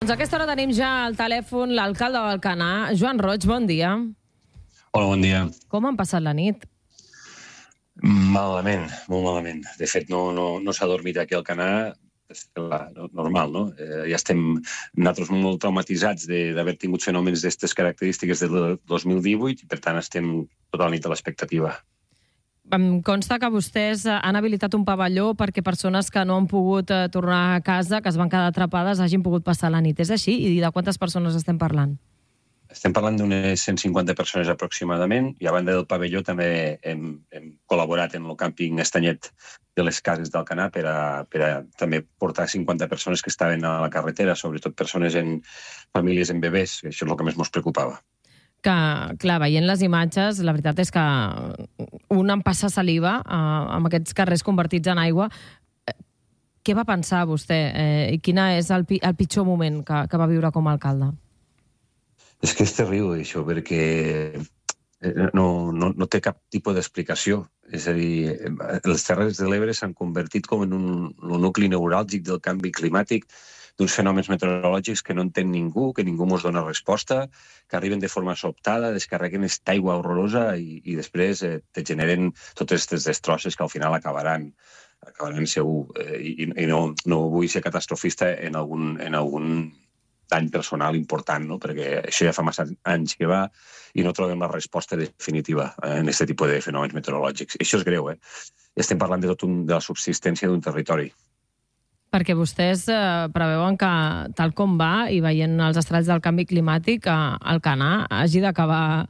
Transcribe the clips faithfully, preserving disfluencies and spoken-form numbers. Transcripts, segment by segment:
Doncs a aquesta hora tenim ja al telèfon l'alcalde d'Alcanar, Joan Roig, bon dia. Hola, bon dia. Com han passat la nit? Malament, molt malament. De fet, no, no, no s'ha dormit aquí al Alcanar, és normal, no? Eh, ja estem nosaltres molt traumatitzats d'haver tingut fenòmens d'aquestes característiques del dos mil divuit i, per tant, estem tota la nit a l'expectativa. Em consta que vostès han habilitat un pavelló perquè persones que no han pogut tornar a casa, que es van quedar atrapades, hagin pogut passar la nit. És així? I de quantes persones estem parlant? Estem parlant d'unes cent cinquanta persones aproximadament, i a banda del pavelló també hem, hem col·laborat en el càmping Estanyet de les Cases d'Alcanar per a, per a també portar cinquanta persones que estaven a la carretera, sobretot persones en famílies amb bebès, que això és el que més ens preocupava. Que, clar, veient les imatges, la veritat és que un em passa saliva eh, amb aquests carrers convertits en aigua. Què va pensar vostè? Eh, I quin és el, el pitjor moment que, que va viure com a alcalde? És que és terrible, això, perquè no, no, no té cap tipus d'explicació. És a dir, les Terres de l'Ebre s'han convertit com en un, un nucli neuràlgic del canvi climàtic, d'uns fenòmens meteorològics que no entén ningú, que ningú ens dona resposta, que arriben de forma sobtada, descarreguen aquesta aigua horrorosa i, i després eh, te generen totes aquestes destrosses que al final acabaran, acabaran segur. Eh, i, I no, no vull ser catastrofista en algun, en algun dany personal important, no? Perquè això ja fa massa anys que va i no trobem la resposta definitiva en aquest tipus de fenòmens meteorològics. Això és greu, eh? Estem parlant de tot un, de la subsistència d'un territori. Perquè vostès eh, preveuen que, tal com va, i veient els estralls del canvi climàtic, eh, Alcanar hagi d'acabar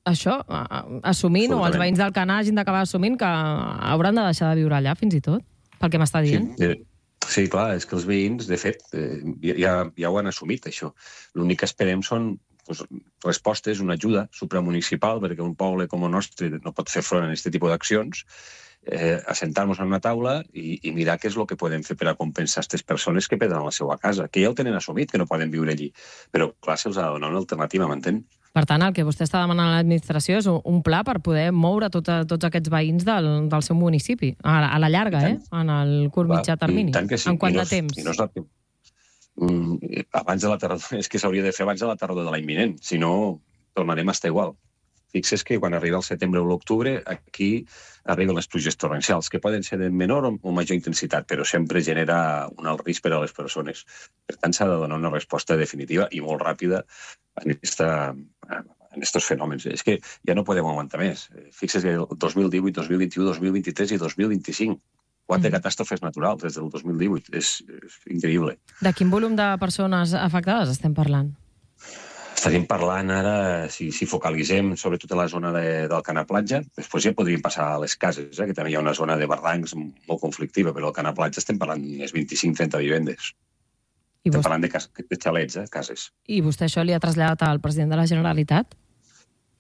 això, eh, assumint, o els veïns d'Alcanar hagin d'acabar assumint que hauran de deixar de viure allà, fins i tot, pel que m'està dient. Sí, eh, sí, clar, és que els veïns, de fet, eh, ja, ja ho han assumit, això. L'únic que esperem són pues, respostes, una ajuda supramunicipal, perquè un poble com el nostre no pot fer front a aquest tipus d'accions, Eh, assentar-nos en una taula i, i mirar què és el que podem fer per a compensar aquestes persones que perden la seva casa, que ja ho tenen assumit, que no poden viure allí. Però, clar, se'ls ha de donar una alternativa, m'entén? Per tant, el que vostè està demanant a l'administració és un, un pla per poder moure tot a, tots aquests veïns del, del seu municipi, a, a la llarga, eh? En el curt mitjà termini. Sí. En quant no, de temps? I no és la... mm, abans de la tardor, és que s'hauria de fer abans de la tardor de l'any vinent, si no tornarem a estar igual. Fixes que quan arriba el setembre o l'octubre, aquí arriben les pluges torrencials, que poden ser de menor o major intensitat, però sempre genera un alt risc per a les persones. Per tant, s'ha de donar una resposta definitiva i molt ràpida en aquests fenòmens. És que ja no podem aguantar més. Fixes que el dos mil divuit, dos mil vint-i-u, dos mil vint-i-tres i dos mil vint-i-cinc, quatre mm. catàstrofes naturals des del dos mil divuit. És, és increïble. De quin volum de persones afectades estem parlant? Estaríem parlant ara, si, si focalitzem sobretot a la zona de, d'Alcanar Platja, després ja podríem passar a les cases, eh, que també hi ha una zona de barrancs molt conflictiva, però al Alcanar Platja estem parlant d'unes vint-i-cinc trenta vivendes. I estem vostè... parlant de, cas, de xalets, eh, cases. I vostè això li ha traslladat al president de la Generalitat?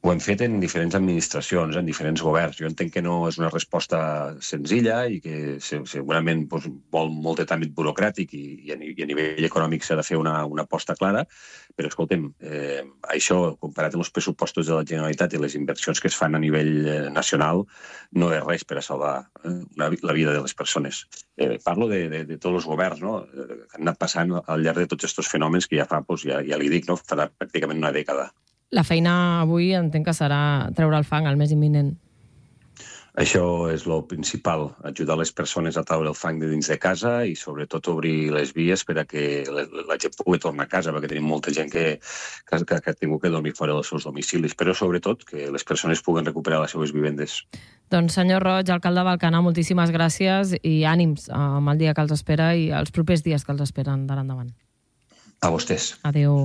Ho hem fet en diferents administracions, en diferents governs. Jo entenc que no és una resposta senzilla i que segurament doncs, vol molt de tràmit burocràtic i, i, a, i a nivell econòmic s'ha de fer una, una aposta clara, però escoltem, eh, això, comparat amb els pressupostos de la Generalitat i les inversions que es fan a nivell eh, nacional, no és res per a salvar eh, una, la vida de les persones. Eh, parlo de, de, de tots els governs, no?, que han anat passant al llarg de tots aquests fenòmens que ja fa, doncs, ja, ja li dic, no?, farà pràcticament una dècada. La feina avui entenc que serà treure el fang, el més imminent. Això és el principal, ajudar les persones a treure el fang de dins de casa i sobretot obrir les vies per a que la gent pugui tornar a casa, perquè tenim molta gent que, que, que ha tingut que dormir fora dels seus domicilis, però sobretot que les persones puguen recuperar les seves vivendes. Doncs senyor Roig, alcalde d'Alcanar, moltíssimes gràcies i ànims amb el dia que els espera i els propers dies que els esperen d'ara endavant. A vostès. Adéu.